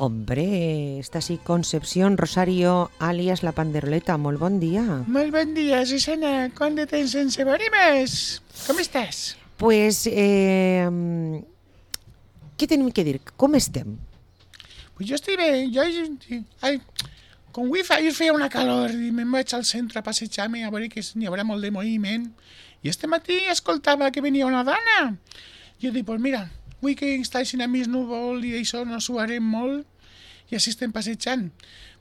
Hombre, esta sí, Concepción Rosario, alias La Panderoleta, molt bon dia. Molt bon dia, Susana. Quant de temps sense veure més? Com estàs? Pues, què tenim que dir? Com estem? Pues jo estic bé. Com avui feia una calor i me'n vaig al centre a passejar-me a veure que n'hi haurà molt de moviment. I este matí escoltava que venia una dona. Jo dic, pues mira, avui que està així a més núvol i això no suarem molt i així estem passejant.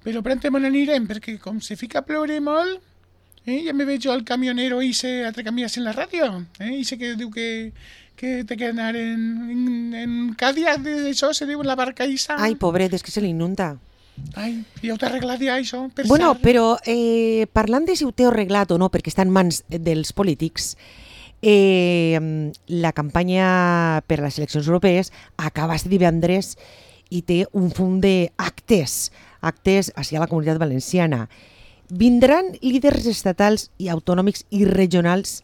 Però prompte me n'anirem perquè com se fica a ploure molt, ja me veig jo el camionero ese altre canvies en la ràdio. Ese que diu que té que anar en Cadillac, això se diu la barca Isa. Ai, pobret, és que se li inunda. Ai, ja ho t'ha arreglat ja, això, per Bueno, cert. però parlant de si ho té arreglat o no, perquè està en mans dels polítics, la campanya per a les eleccions europees acaba este divendres i té un fum d'actes hacia la Comunitat Valenciana. Vindran líders estatals i autonòmics i regionals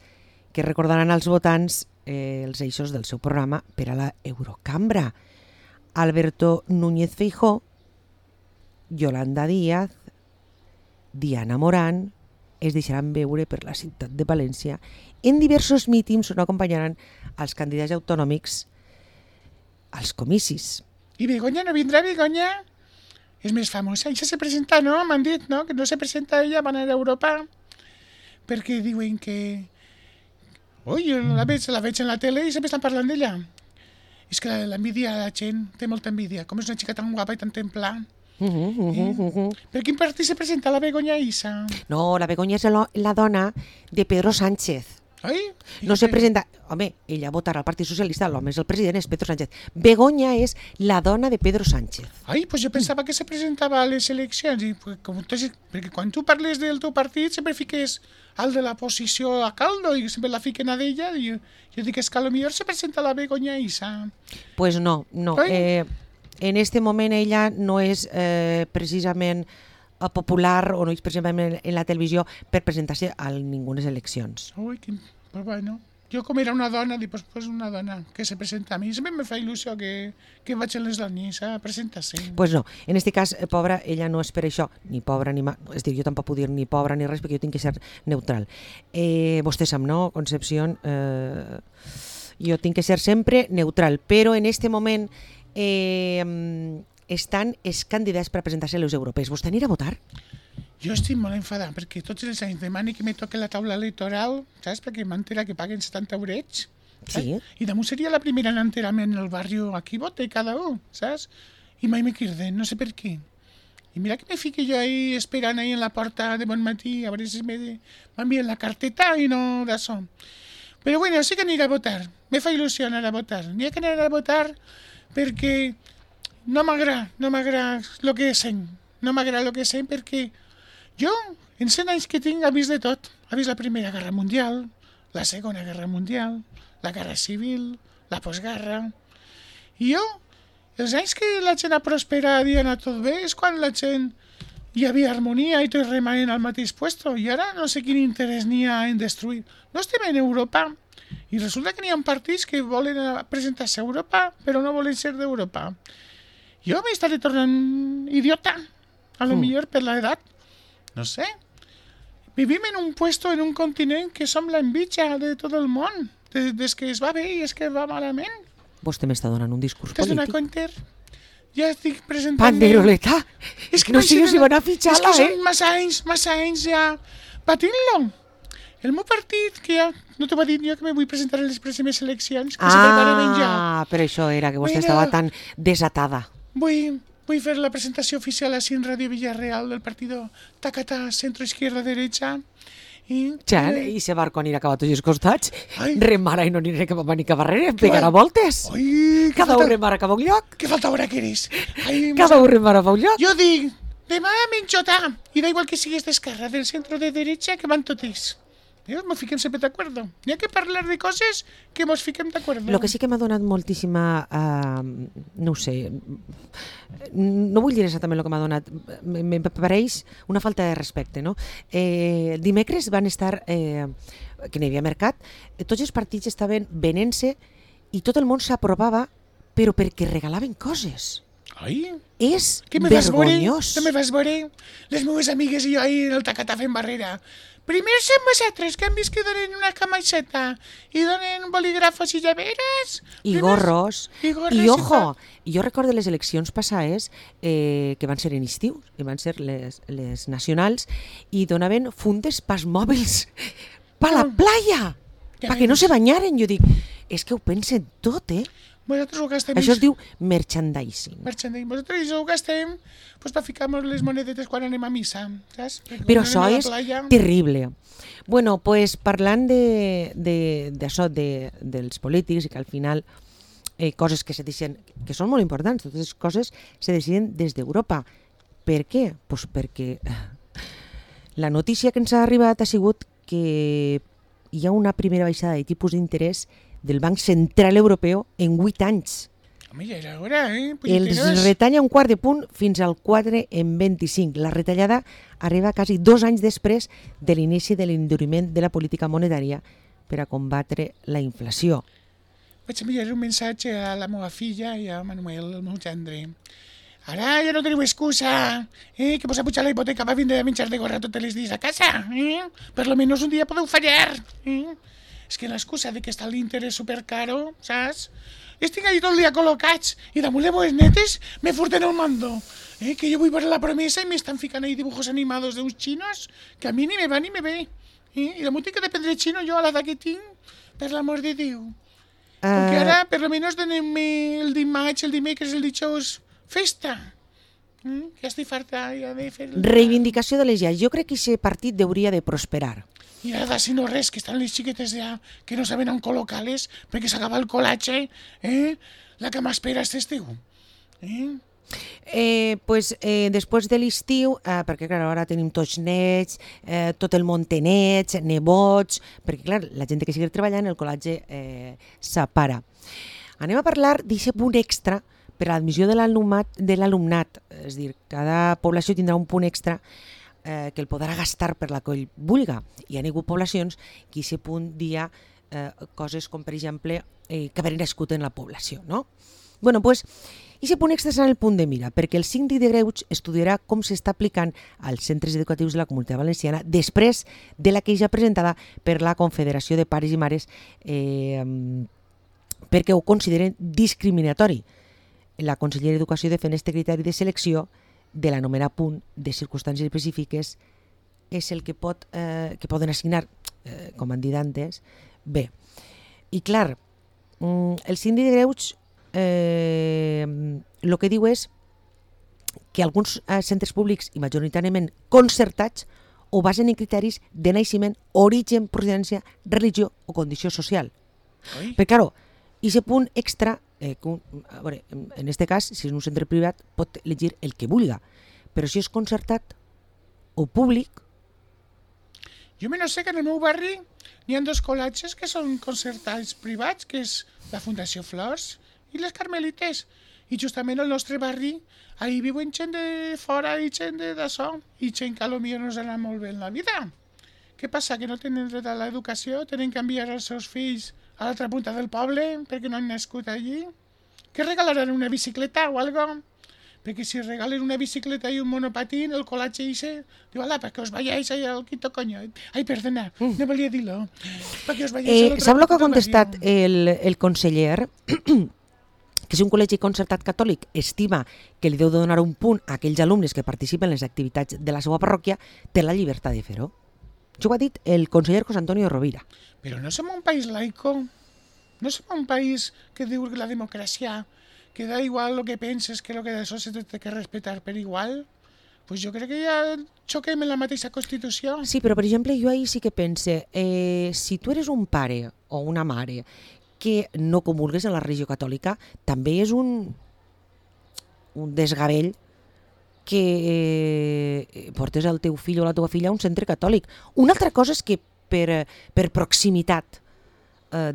que recordaran als votants els eixos del seu programa per a la Eurocambra. Alberto Núñez Feijóo, Yolanda Díaz, Diana Morán es deixaran veure per la ciutat de València en diversos mítings on acompanyaran els candidats autonòmics als comicis. I Begoña no vindrà, Begoña? És més famosa. Ella se presenta, no? M'han dit, no? Que no se presenta ella, van anar a Europa. Perquè diuen que... Ui, la veig en la tele i sempre estan parlant d'ella. És que l'envidia, la gent té molta envidia. Com és una xica tan guapa i tan templar. Per quin partit se presenta la Begoña Isa? No, la Begoña és la dona de Pedro Sánchez. Ai? No se presenta... Home, ella votarà al Partit Socialista, l'home és el president, és Pedro Sánchez. Begoña és la dona de Pedro Sánchez. Ai, pues jo pensava que se presentava a les eleccions. Perquè quan tu parles del teu partit sempre fiques al de la posició a caldo i sempre la fiquen a d'ella. I jo dic, és que potser se presenta la Begoña Isa. Pues no. En este moment ella no és precisament popular o no és precisament en la televisió per presentar-se a ningunes eleccions. Ui, pues bueno. Jo com era una dona, dic, pues una dona que se presenta a mi. Sempre me fa il·lusió que vagin les dones a presentar-se. Pues no, en este cas, pobra, ella no és per això, ni pobra ni és dir, jo tampoc puc dir ni pobra ni res perquè jo tinc que ser neutral. Vostè sap, no, Concepción? Jo tinc que ser sempre neutral, però en este moment estan els candidats per a presentar-se a les europees. Vostè anirà a votar? Jo estic molt enfadada perquè tots els anys demani que me toque la taula electoral, saps? Perquè m'entera que paguen 70 eurets. Sí. I damunt seria la primera en enterament en el barri aquí vota cada un, saps? I mai me criden, no sé per què. I mira que me fique jo ahí esperant ahí en la porta de bon matí a veure si m'envien la carteta i no d'això. Però bueno, sí que aniré a votar. Me fa il·lusió anar a votar. N'hi ha que anar a votar perquè no m'agrada el que sent. No m'agrada el que sent perquè jo, en 100 anys que tinc, he vist de tot. He vist la Primera Guerra Mundial, la Segona Guerra Mundial, la Guerra Civil, la postguerra. I jo, els anys que la gent ha prosperat i ha anat tot bé, és quan la gent hi havia harmonia i tot remanent al mateix puesto. I ara no sé quin interès n'hi ha en destruir. No estem en Europa. I resulta que n'hi ha partits que volen presentar-se a Europa, però no volen ser d'Europa. Jo m'estaré tornant idiota, a lo millor per l'edat. No sé. Vivim en un puesto, en un continent que som l'enveja de tot el món. Des que es va bé i es que va malament. Vostè m'està donant un discurs T'has donat polític. compte? Ja estic presentant... Panderoleta! És que no sigues si van a fitxar-la, És que són massa anys ja patint-lo. El meu partit, que ja no t'ho va dir jo, que me vull presentar a les pròximes eleccions, que se preparen ja. Per això era que vostè estava tan desatada. Vull fer la presentació oficial així en Ràdio Villarreal del partido Tacata Centro Izquierda Derecha. I Que falta hora que eres. Cada un remara cap a un lloc. Jo dic, demà menjota, i da igual que sigues d'esquerra, del centro de derecha, que van totes. Nos fiquem sempre d'acord. N'hi ha que parlar de coses que mos fiquem d'acord. El que sí que m'ha donat moltíssima, no ho sé, no vull dir exactament el que m'ha donat, me pareix una falta de respecte, no? Dimecres van estar, que n'hi havia mercat, tots els partits estaven venent-se i tot el món s'aprovava, però perquè regalaven coses. Ai, És què me vas veure? vergonyós. No me vas veure? Les meves amigues i jo ahir en el tacatà fent barrera. Primer som vosaltres, que han vist que donen una camiseta i donen bolígrafos i llaveres. I Primers- gorros. I gorros. I ojo, tot. jo recordo les eleccions passades que van ser en estiu, que van ser les nacionals, i donaven fundes pas mòbils pa la playa, Ja perquè no veus. se banyaren. Jo dic, és que ho pensen tot, eh? Vosaltres ho gastem... Això es diu merchandising. merchandising. Vosaltres ho gastem pues, per ficar-nos les monedetes quan anem a missa, saps? Perquè Però quan això anem a és la playa- terrible. Bueno, pues parlant d'això, dels polítics, i que al final coses que se deciden, que són molt importants, totes les coses se deciden des d'Europa. Per què? Pues perquè la notícia que ens ha arribat ha sigut que hi ha una primera baixada de tipus d'interès del Banc Central Europeu en 8 anys. Home, ja era hora, Els Punyetines. retalla un quart de punt fins al 4,25. La retallada arriba quasi 2 anys després de l'inici de l'enduriment de la política monetària per a combatre la inflació. Vaig enviar un missatge a la meva filla i a Manuel, el meu gendre. Ara ja no teniu excusa, que vos ha pujat la hipoteca va vindre a menjar de gorra tots els dies a casa. Per lo menos un dia podeu fallar. És que l'excusa de que està l'interès supercaro, saps? Estic allà tot el dia col·locats i damunt les meves netes me furten el mando. Que jo vull veure la promesa i m'estan ficant ahí dibujos animados d'uns xinos que a mi ni me va ni me ve. I damunt tinc que aprendre xino jo a l'edat que tinc, per l'amor de Déu. Perquè ara, per lo menos, donem-me el dimarts, el dimecres, el dijous, festa. Ja estic farta ja de fer... Reivindicació de les llars. Jo crec que aquest partit hauria de prosperar. I ara, si no res, que estan les xiquetes ja que no saben on col·locar-les perquè s'acaba el col·latge, la que m'espera és estiu. Després de l'estiu, perquè clar, ara tenim tots nets, tot el món té nets, nebots, perquè clar, la gent que sigui treballant, el col·latge s'apara. Anem a parlar d'aquest punt extra per a l'admissió de l'alumnat, és a dir, cada població tindrà un punt extra que el podrà gastar per la que ell vulga. Hi ha hagut poblacions que a aquest punt dia coses com, per exemple, que haver nascut en la població, no? Bueno, doncs, aquest punt extra serà el punt de mira, perquè el síndic de Greuges estudiarà com s'està aplicant als centres educatius de la Comunitat Valenciana després de la queixa presentada per la Confederació de Pares i Mares perquè ho consideren discriminatori. La consellera d'Educació defèn este criteri de selecció de l'anomenat punt de circumstàncies específiques és el que poden assignar, com han dit antes, bé. I clar, el síndic de Greuges el que diu és que alguns centres públics i majoritàriament concertats ho basen en criteris de naixement, origen, procedència, religió o condició social. Però, clar, aquest punt extra, a veure, en aquest cas, si és un centre privat, pot elegir el que vulga, però si és concertat o públic... Jo no sé que en el meu barri n'hi ha 2 col·latges que són concertats privats, que és la Fundació Flors i les Carmelites. I justament al nostre barri ahí viuen gent de fora i gent d'això, i gent que potser no us anà molt bé en la vida. Què passa? Que no tenen dret a l'educació? Tenen que enviar els seus fills a l'altra punta del poble perquè no han nascut allí? Que regalaran una bicicleta o algo? Perquè si regalen una bicicleta i un monopatín, el col·latge dice, diu, ala, perquè us vayáis ahí al quinto coño. Ai, perdona, no volia dir-lo. Perquè us vayáis a l'altra Sap el que punta ha contestat del el conseller? Que si un col·legi concertat catòlic estima que li deu donar un punt a aquells alumnes que participen en les activitats de la seva parròquia, té la llibertat de fer-ho. Això ho ha dit el conseller José Antonio Rovira. Però no som un país laico, no som un país que diu que la democràcia, que da igual lo que penses, que lo que d'això se té que respetar per igual. Pues jo crec que ja xoquem en la mateixa Constitució. Sí, però per exemple jo ahir sí que pense, si tu eres un pare o una mare que no comulgues en la religió catòlica, també és un desgavell que portes el teu fill o la teva filla a un centre catòlic. Una altra cosa és que per proximitat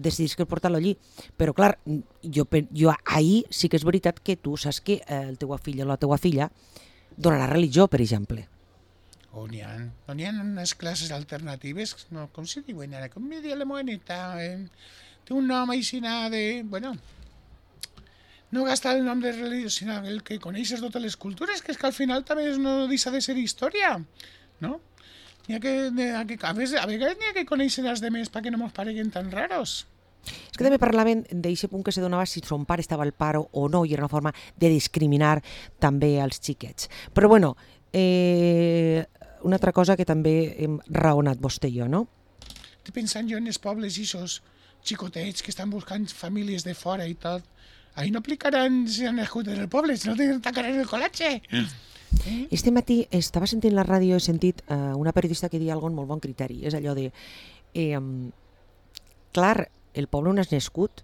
decidís que portar-lo allí. Però clar, jo ahir sí que és veritat que tu saps que el teu fill o la teva filla donarà religió, per exemple. N'hi ha unes classes alternatives, no, com se diuen ara, com me diu la meva neta, té un nom així de, bueno, no gastar el nom de religió, sinó el que coneixes totes les cultures, que és que al final també no deixa de ser història, no? A vegades n'hi ha que conèixer els demés perquè no mos pareguen tan raros. És que també parlaven d'aquest punt que se donava si son pare estava al paro o no, i era una forma de discriminar també als xiquets. Però bueno, una altra cosa que també hem raonat vostè i jo, no? Estic pensant jo en els pobles i aquests xicotets que estan buscant famílies de fora i tot. Ahí no aplicaran si han nascut en el poble, si no te tancaran el col·letge. Este matí estava sentint la ràdio, he sentit una periodista que deia alguna molt bon criteri, és allò de clar, el poble on has nascut,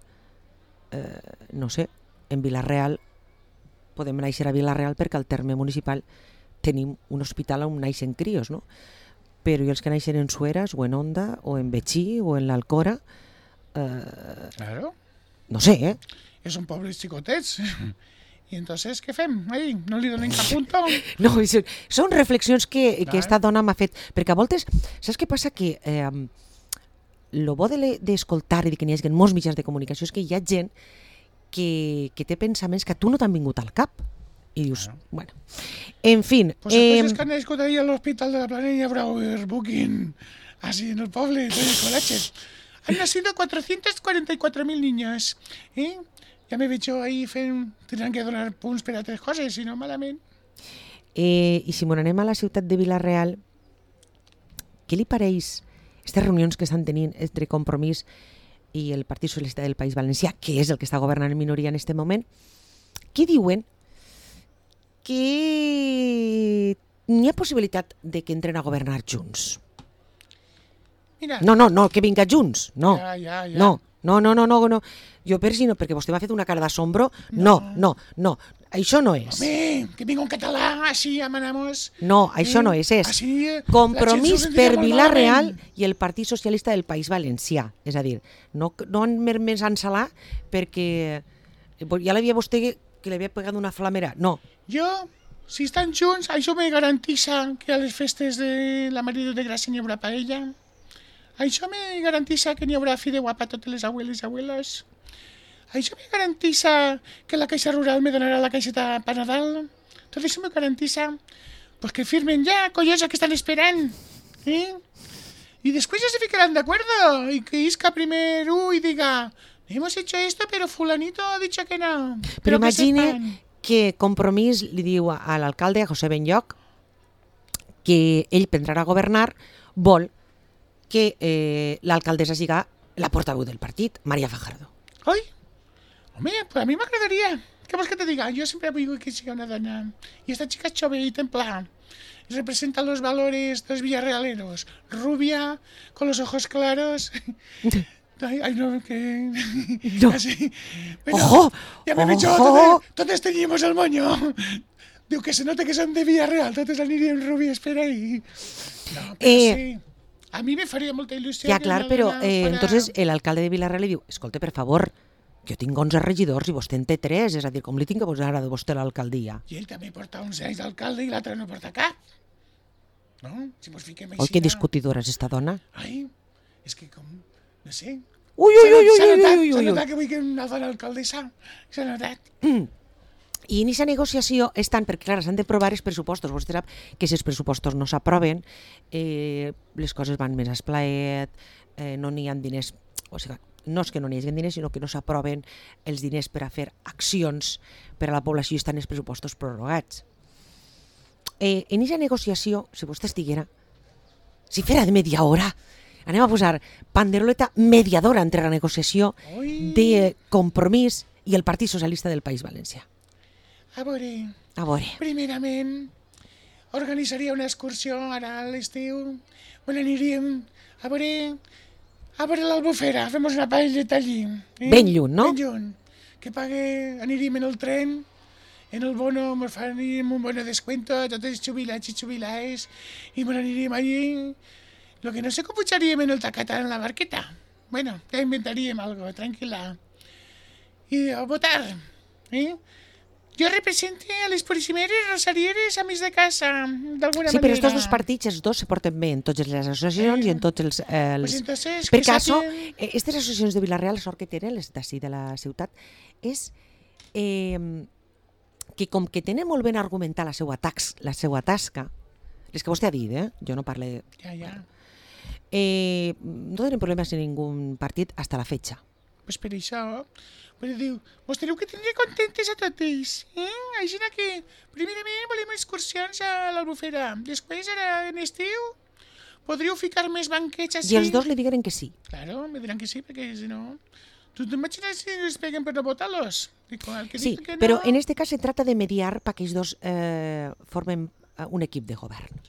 no sé, en Vila-real, podem néixer a Vila-real perquè al terme municipal tenim un hospital on naixen crios, no? Però i els que naixen en Sueras, o en Onda, o en Betxí, o en l'Alcora, Claro. no sé, Són pobles xicotets. I entonces, què fem? Ahí, no li donem cap punto? No, són reflexions que esta dona m'ha fet, perquè a voltes, saps què passa? Que lo bo d'escoltar i que n'hi hagi molts mitjans de comunicació és que hi ha gent que té pensaments que a tu no t'han vingut al cap. I dius, bueno, en fin... Pues entonces que han nascut ahí a l'Hospital de la Planella Brauer Booking, así en el poble, en el col·letge. Han nacido 444.000 niños, Ja m'he vist jo ahir fent... Tindran que donar punts per a altres coses, si no malament. I si m'anem a la ciutat de Vila-real, què li pareix aquestes reunions que estan tenint entre Compromís i el Partit Socialista del País Valencià, que és el que està governant en minoria en aquest moment, que diuen que n'hi ha possibilitat de que entren a governar junts? Mira. No, que vinga junts, no. Ja. No. Jo perquè vostè m'ha fet una cara d'assombro. No. Això no és. Home, que vinga un català, així amanamos. No, això no és. És Compromís per Vila-real i el Partit Socialista del País Valencià. És a dir, no més ensalar perquè ja l'havia vostè que li havia pegat una flamera. No. Jo, si estan junts, això me garantissa que a les festes de la Maria de Gràcia n'hi haurà paella. Això me garantissa que n'hi haurà fideuà per totes les abueles i abuelos. Això me garantissa que la Caixa Rural me donarà la caixeta per Nadal. Tot això me garantissa pues que firmen ja, collosa, que están esperant. Y después ya se ficarán de acuerdo. Y que Isca primero y diga, hemos hecho esto, pero fulanito ha dicho que no. Però imagine que Compromís li diu a l'alcalde, a José Benlloch, que ell prendrà a governar, vol que l'alcaldessa siga la portaveu del partit, María Fajardo. Oi? Home, pues a mi m'agradaria. ¿Qué vols que te diga? Yo siempre digo que siga una dona. Y esta chica es chove y templada. Representa los valores de los villarrealeros. Rubia, con los ojos claros. Ay, no, que... No. Así. Bueno, ¡Ojo! ya me he dicho, totes teníamos el moño. Diu que se nota que son de Villarreal, totes aniríem rubies per ahí. No, però sí. A mi me faria molta il·lusió. Ja, clar, però entonces l'alcalde de Vila-real li diu, escolta, per favor, jo tinc 11 regidors i vostè en té 3, és a dir, com li tinc que posar a vostè l'alcaldia? I ell també porta uns anys d'alcalde i l'altre no porta cap. No? Si mos fiquem així... Oi, que discutidora és esta dona? Ai, és que com... No sé. Ui. S'ha notat que vull que una dona alcaldessa. S'ha notat. I en aquesta negociació estan, perquè clar, s'han d'aprovar els pressupostos. Vostè sap que si els pressupostos no s'aproven, les coses van més esplaet, no n'hi ha diners, o sigui, no és que no n'hi hagi diners, sinó que no s'aproven els diners per a fer accions per a la població i estan els pressupostos prorrogats. En aquesta negociació, si vostè estiguera, si fera de media hora, anem a posar panderoleta mediadora entre la negociació de Compromís i el Partit Socialista del País Valencià. A veure. Primerament, organitzaria una excursió ara a l'estiu. On aniríem a veure l'Albufera, fem una paelleta allí. Ben lluny, no? Ben lluny. Que aniríem en el tren, en el bono, ens faríem un bono descuento a tots els jubilats i jubilades, i ens aniríem allí. Lo que no sé com pujaríem en el tacatà en la barqueta. Bueno, ja inventaríem algo, tranquil·la. I a votar, Jo represente a les porissimeres rosarieres amics de casa, d'alguna manera. Sí, però estos dos partits, els dos se porten bé en totes les associacions i en tots els... Pues entonces, per caso, aquestes associacions de Vila-real, la sort que tenen, les d'ací de la ciutat, és que com que tenen molt ben argumentar la seva tasca, les que vostè ha dit, jo no parle... Ja. No tenen problemes en ningú partit hasta la fecha. Pues per això, pues diu, vos teniu que tindre contentes a totes, Així que, primerament, volem excursions a l'Albufera. Després, ara, en estiu, podríeu ficar més banquets així. I els dos li digueren que sí. Claro, me diran que sí, perquè si no... ¿Tú te imaginas si les peguen per no votar-los? Sí, però en este cas se trata de mediar perquè ells dos formen un equip de govern.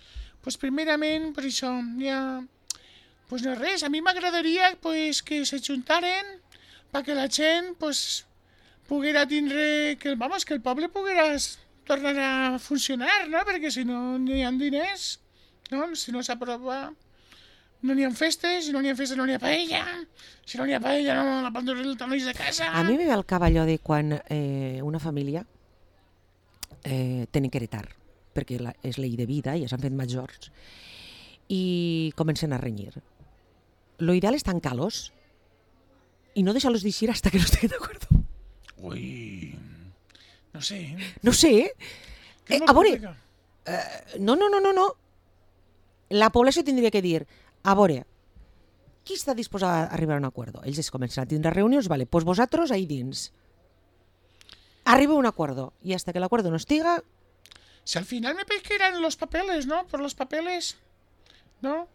Pues primerament, per això, ja... Pues no res, a mi m'agradaria pues, que se juntaren perquè la gent pues, poguera tindre... Que el poble poguera tornar a funcionar, no? Perquè si no hi ha diners, no? Si no s'aprova... No n'hi ha festes, si no n'hi ha festes no n'hi ha paella, si no n'hi ha paella no la pandorreta no és de casa... A mi me ve al cap allò de quan una família tenen que heretar, perquè és llei de vida, ja s'han fet majors, i comencen a renyir. Lo ideal és tancar-los i no deixar-los d'eixir hasta que no estiguin d'acord. Ui, no sé. No sé, a veure, no. La població tindria que dir, a veure, qui està disposat a arribar a un acuerdo? Ells es comencen a tindre reunions, vale, pues vosaltres ahí dins. Arriba a un acuerdo, y hasta que el acuerdo no estiga... Si al final me pesqueran los papeles, ¿no? Por los papeles, ¿no?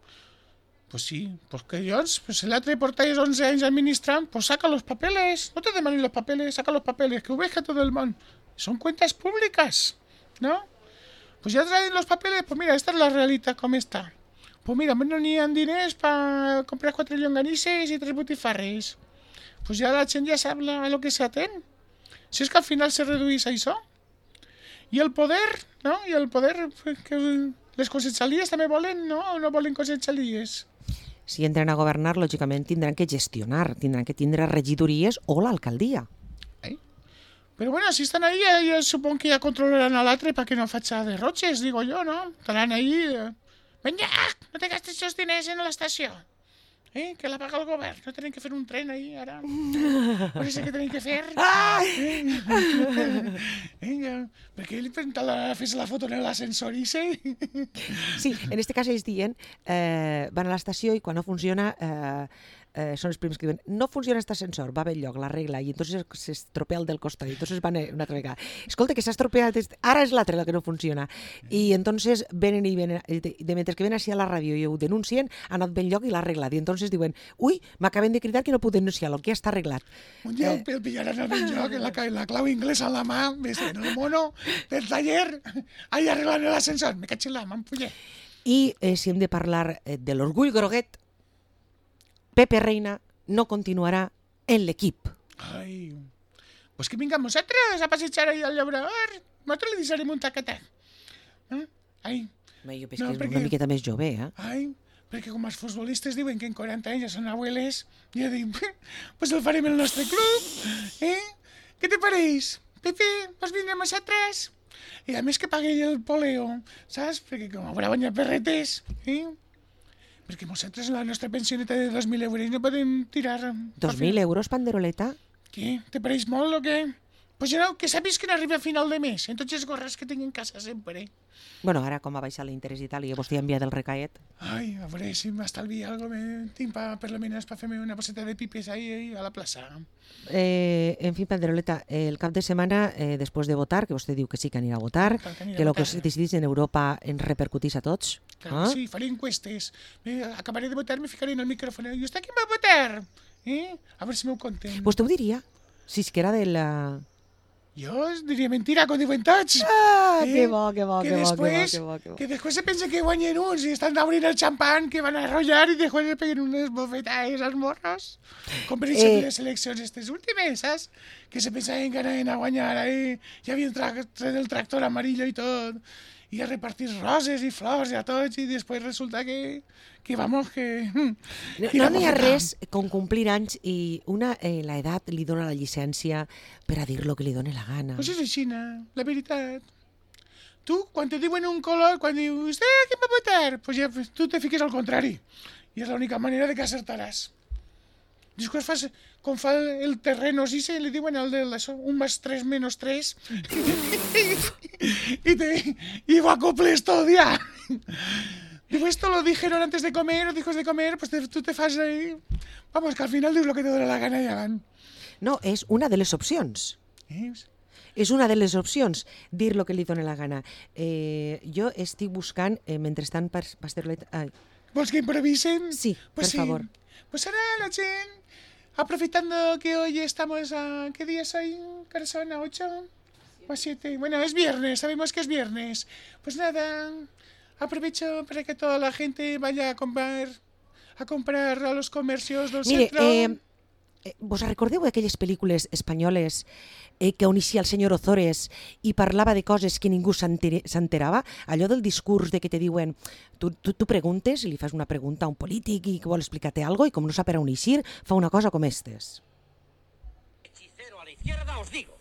Pues sí, pues que Jones, pues el altre portáis 11 anys administrant, pues saca los papeles, no te demanen los papeles, saca los papeles, que ho veja todo el món. Son cuentas públicas, ¿no? Pues ya traen los papeles, pues mira, esta es la realidad como está. Pues mira, no n'hi ha diners per comprar 4 llonganisses i 3 botifarres. Pues ja la gent ja sap a lo que s'atén. Si és que al final se redueix a això. I el poder, no? I el poder, que les conselleries també volen, no? O no volen conselleries? Si entren a governar, lògicament tindran que gestionar, tindran que tindre regidories o l'alcaldia. Pero bueno, si están ahí, yo supongo que ya controlarán al l'altre para que no facha derroches, digo yo, ¿no? Estarán ahí... Venga, no te gastes esos diners en la estació. Que la paga el govern. No tenen que fer un tren ahí, ara. Per això que tenen que fer. Perquè ell fes la foto en l'ascensor i sí. Sí, en este cas ells diuen, van a l'estació i quan no funciona... són els primers que diuen, no funciona aquest ascensor, va bé lloc, l'arregla, i entonces s'estropea el del costat, i entonces van una altra vegada. Escolta, que s'ha estropeat, ara és l'altre el que no funciona. I entonces venen i venen, mentre que venen així a la ràdio i ho denuncien, ha anat ben lloc i l'ha arreglat. I entonces diuen, ui, m'acaben de cridar que no puc denunciar-lo, que ja està arreglat. Un dia el pillaran al ben lloc, la clau inglesa a la mà, ves en el mono del taller, ahí arreglant l'ascensor, me caig en la m'ampuller. I si hem de parlar de l'orgull groguet, Pepe Reina no continuarà en l'equip. Ai, pues que vinguem nosaltres a passejar ahí al llaurador. Nosaltres li deixarem un tac-a-tac. Ai. Jo penso que és una miqueta més jove, Ai, perquè com els futbolistes diuen que en 40 anys ja són abueles, jo dic, pues el farem el nostre club, Què te pareix? Pepe, vols vindre amb nosaltres? I a més que pagui el poleo, saps? Perquè com haurà guanyat perretes, Perquè nosaltres la nostra pensioneta de 2.000 euros no podem tirar... 2.000 euros, panderoleta? Què? Te pareix molt o què? Pues ja no, que sàpies que no arriba a final de mes, en tots els gorres que tinc en casa sempre. Bueno, ara com ha baixat l'interès i tal, i vostè ha enviat el recaet. Ai, a veure si m'estalvia alguna cosa, tinc per lo menos per fer-me una passeta de pipes ahí a la plaça. En fi, Panderoleta, el cap de setmana, després de votar, que vostè diu que sí que anirà a votar, que el que es decidís en Europa ens repercutís a tots. Claro, sí, faré encuestes. Acabaré de votar, me ficaré en el micrófono. ¿Y usted quién va a votar? A ver si m'ho conten. Vostè ho diria, si és que era de la... Jo diria mentira, com diuen tots. Que bo, que bo, que bo. Que després se pensa que guanyen uns i estan obrint el xampan, que van a arrollar i després se peguen unes bofetades als morros. Com per exemple les eleccions aquestes últimes, saps? Que se pensaven que anaven a guanyar ahí. Hi havia el tractor amarillo i tot. I a repartir roses i flors i a tots i després resulta que vamos, que... No n'hi ha res com complir anys i la edat li dona la llicència per a dir lo que li doni la gana. Pues és així, la veritat. Tu, quan te diuen un color, quan dius, què va votar? Pues ja tu te fiques al contrari. I és l'única manera de que acertaràs. Després fas, com fa el terreno, sí, li diuen el de això, 1 más 3 menos 3. y lo acoples todo ya. Digo, esto lo dijeron antes de comer, o después de comer, pues tú te fas ahí. Vamos, que al final dius lo que te dóna la gana i avant. No, és una de les opcions. És una de les opcions, dir lo que li dóna la gana. Jo estic buscant, mentrestant, Pasterolet... ¿Vols que improvisen? Sí, pues por favor. Pues ahora la gente, aprovechando que hoy estamos a... ¿Qué día es hoy? ¿Qué son? ¿A 8? ¿O a 7? Bueno, es viernes, sabemos que es viernes. Pues nada, aprovecho para que toda la gente vaya a comprar a los comercios del centro. Vos recordeu aquelles pel·lícules espanyoles que on eixia el senyor Ozores i parlava de coses que ningú s'enterava? Allò del discurs de que te diuen, tu preguntes i li fas una pregunta a un polític i que vol explicar-te alguna cosa i com no sap per on eixir, fa una cosa com estes. Hechicero a la izquierda os digo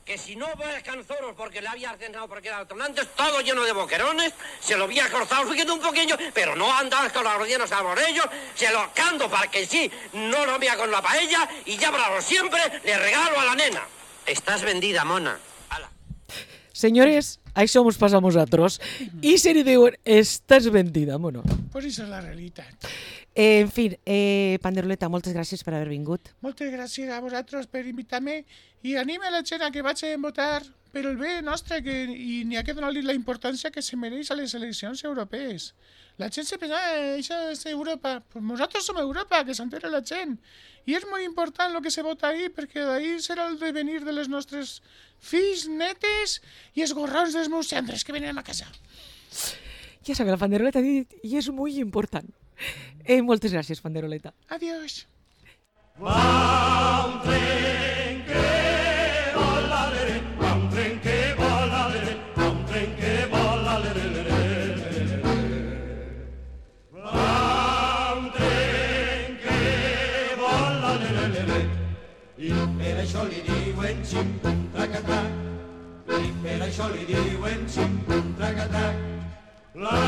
que si no ves canzoros porque le había ordenado porque era antes todo lleno de boquerones, se lo había cortado subiendo un poquillo, pero no andas con los rellenos a ellos, se lo canto para que sí, no lo vea con la paella y ya para siempre le regalo a la nena. Estás vendida, mona. Ala. Senyores, això mos passa a nosaltres. I se li diuen, estàs vendida, mona. Pues això és la realitat. En fi, Panderoleta, moltes gràcies per haver vingut. Moltes gràcies a vosaltres per invitar-me i anima la gent a que vagi a votar per el bé nostre i n'hi ha que donar-li la importància que se mereix a les eleccions europees. La gent se pensa, això és Europa. Pues nosaltres som Europa, que s'entera la gent. I és molt important el que se vota ahí, perquè d'ahí serà el devenir de les nostres fills, netes i esgorrons dels meus cendres que venen a casa. Ja sabeu, la Panderoleta ha dit, i és molt important. Moltes gràcies, Panderoleta. Adiós. Va un tren que vola, va un tren que vola, va un tren que vola, va un tren que vola, i per això li diuen xim-pum trac-a-trac, i per això li diuen xim-pum trac-a-trac. La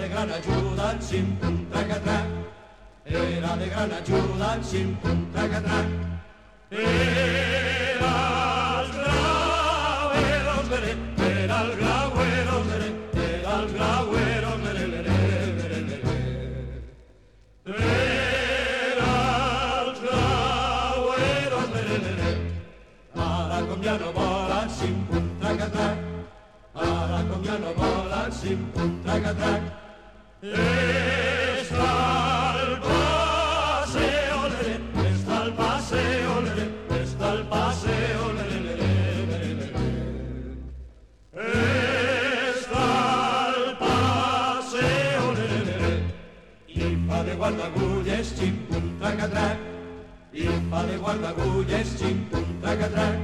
gran ajuda en xim-pum trac-a-trac, era de gran ajuda en xim-pum trac-a-trac. Era els graueros, era els graueros, era els graueros, era els graueros, ara com ja no volen xim-pum trac-a-trac, ara com ja no volen xim-pum trac-a-trac. Está el paseo, está el paseo, está el paseo, está el paseo, i fa de guardagulles, xim-pum trac-a-trac, i fa de guardagulles, xim-pum trac-a-trac.